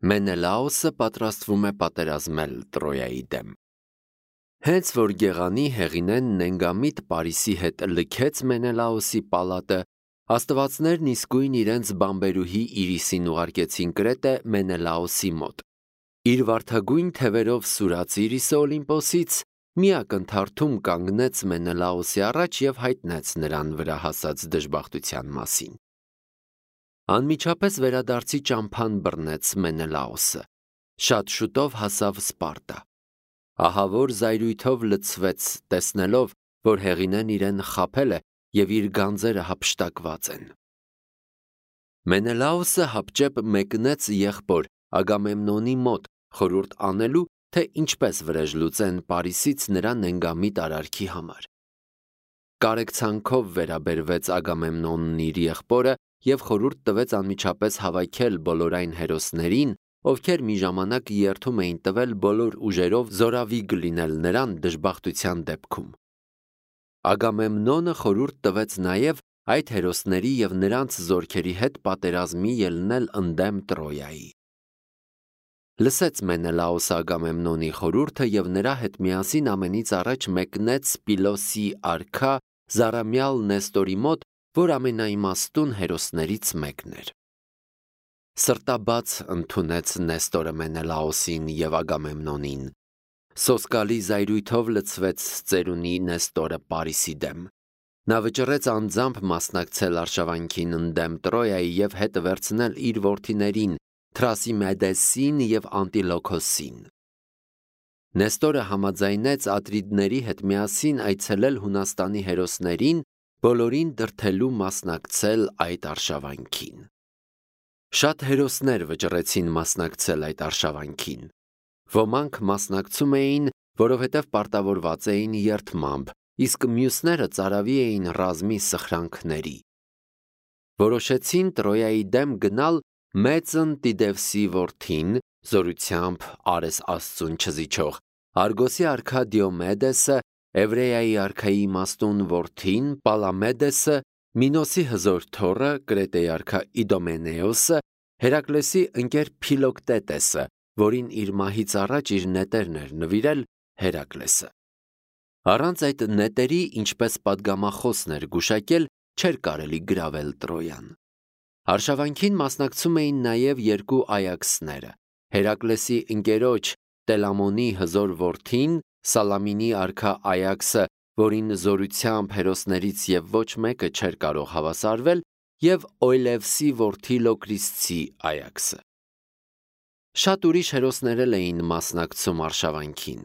Մենելաոսը պատրաստվում է պատերազմել Տրոյայի դեմ։ Հենց որ Գեղանի Հեղինեն Նենգամիտ Պարիսի հետ լքեց Մենելաոսի պալատը, աստվածներն իսկույն իրենց բամբերուհի Իրիսին ուղարկեցին Կրետե Մենելաոսի մոտ։ Իր վարդագույն թևերով սուրաց Իրիսը Օլիմպոսից մի ակնթարթում կանգնեց Մենելաոսի առաջ և հայտնեց նրան վրա հասած դժբախտության մասին։ Անմիջապես վերադարձի ճամփան բռնեց Մենելաոսը։ Շատ շուտով հասավ Սպարտա։ Ահավոր զայրույթով լցվեց, տեսնելով, որ Հեղինեն իրեն խաբել է և իր գանձերը հափշտակված են։ Մենելաոսը հապճեպ մեկնեց եղբոր Ագամեմնոնի մոտ խորհուրդ անելու, թե ինչպես վրեժ լուծեն Պարիսից նրա Նենգամիտ արարքի համար։ Կարեկցանքով վերաբերվեց Ագամեմնոնն իր եղբորը և խորհուրդ տվեց անմիջապես հավաքել բոլոր այն հերոսներին, ովքեր մի ժամանակ երդում էին տվել բոլոր ուժերով զորավիգ լինել նրան դժբախտության դեպքում։ Ագամեմնոնը խորհուրդ տվեց նաև այդ հերոսների և նրանց զորքերի հետ պատերազմի ելնել ընդդեմ Տրոյայի։ Լսեց Մենելաոսը Ագամեմնոնի խորհուրդը և նրա հետ միասին ամենից առաջ մեկնեց Պիլոսի արքա Զարամյալ Նեստորի մոտ, որ ամենաիմաստուն հերոսներից մեկն էր։ Սրտաբաց ընդունեց Նեստորը Մենելաոսին և Ագամեմնոնին։ Սոսկալի զայրույթով լցվեց ծերունի Նեստորը Պարիսի դեմ։ Նա վճռեց անձամբ մասնակցել արշավանքին ընդդեմ Տրոյայի և հետ վերցնել իր որդիներին Թրասիմեդեսին և Անտիլոքոսին։ Նեստորը համաձայնեց Ատրիդների հետ միասին այցելել Հունաստանի հերոսներին, բոլորին դրդելու մասնակցել այդ արշավանքին։ Շատ հերոսներ վճռեցին մասնակցել այդ արշավանքին։ Ոմանք մասնակցում էին, որովհետև պարտավորված էին երդմամբ, իսկ մյուսները ծարավի էին ռազմի սխրանքների։ Որոշեցին Տրոյայի դեմ գնալ մեծն Տիդևսի որդին, զորությամբ Արես Աստծուն չզիջող, Արգոսի արքա Դիոմեդեսը, Էվրեայի արքայի իմաստուն որդին Պալամեդեսը, Մինոսի հզոր թոռը, Կրետեի արքա Իդոմենեոսը, Հերակլեսի ընկեր Փիլոկտետեսը, որին իր մահից առաջ իր նետերն էր նվիրել Հերակլեսը։ Առանց այդ նետերի, ինչպես պատգամախոսն էր գուշակել, չէր կարելի գրավել Տրոյան։ Արշավանքին մասնակցում էին նաև երկու այաքսները՝ Հերակլեսի ընկերոջ Տելամոնի հզոր որդին, Սալամինի արքա Այաքսը, որին զորությամբ հերոսներից և ոչ մեկը չէր կարող հավասարվել, և Օյլևսի որդի Լոկրիսցի Այաքսը։ Շատ ուրիշ հերոսներ էլ էին մասնակցում արշավանքին։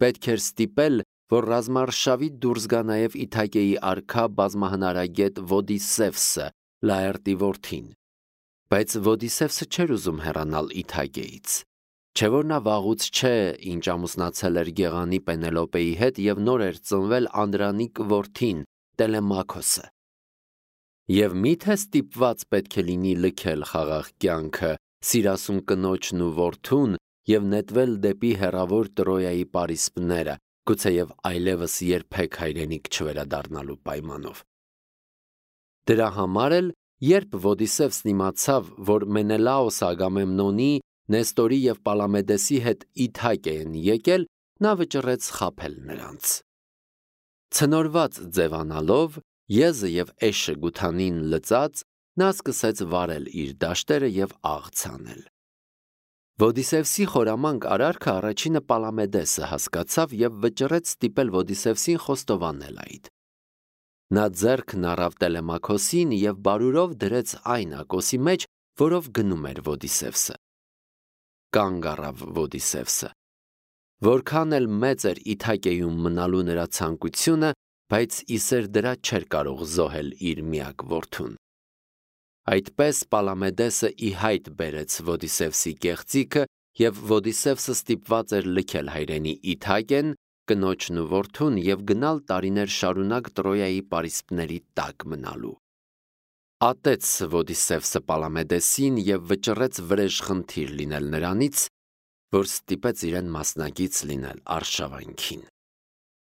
Պետք էր ստիպել, որ ռազմարշավից դուրս գա նաև Իթակեի արքա բազմահնարագետ Ոդիսևսը, Լաերտի որդին։ Բայց Ոդիսևսը չէր ուզում հեռանալ Իթակեից։ Չէ՞ որ նա վաղուց չէ, ինչ ամուսնացել էր Գեղանի Պենելոպեի հետ և նոր էր ծնվել Անդրանիկ որդին, Տելեմաքոսը։ Եվ միթե ստիպված պետք է լինի լքել խաղաղ կյանքը, սիրասուն կնոջն ու որդուն և նետվել դեպի հեռավոր Տրոյայի պարիսպները, գուցեև այլևս երբեք հայրենիք չվերադառնալու պայմանով։ Դրա համար էլ, երբ Ոդիսևսն իմացավ, որ Մենելաոսը Ագամեմնոնի, Նեստորի և Պալամեդեսի հետ Իթակե են եկել, նա վճռեց խաբել նրանց։ Ցնորված ձևանալով, եզը և էշը գութանին լծած, նա սկսեց վարել իր դաշտերը և աղց անել։ Ոդիսևսի խորամանկ արարքը առաջինը Պալամեդեսը հասկացավ և վճռեց ստիպել Ոդիսևսին խոստովանել այդ։ Նա ձեռքն առավ Տելեմաքոսին և բարուրով դրեց այն ակոսի մեջ, որով գնում էր Ոդիսևսը։ Կանգ առավ Ոդիսևսը։ Որքան էլ մեծ էր Իթակեյում մնալու նրա ցանկությունը, բայց իսեր դրա չէր կարող զոհել իր միակ որդուն։ Այդպես Պալամեդեսը ի հայտ բերեց Ոդիսևսի կեղծիքը, և Ոդիսևսը ստիպված էր լքել հայրենի Իթակեն, կնոջն ու որդուն և գնալ տարիներ շարունակ Տրոյայի պարիսպների տակ մնալու։ Ատեց Ոդիսևսը Պալամեդեսին և վճռեց վրեժխնդիր լինել նրանից, որ ստիպեց իրեն մասնակից լինել արշավանքին։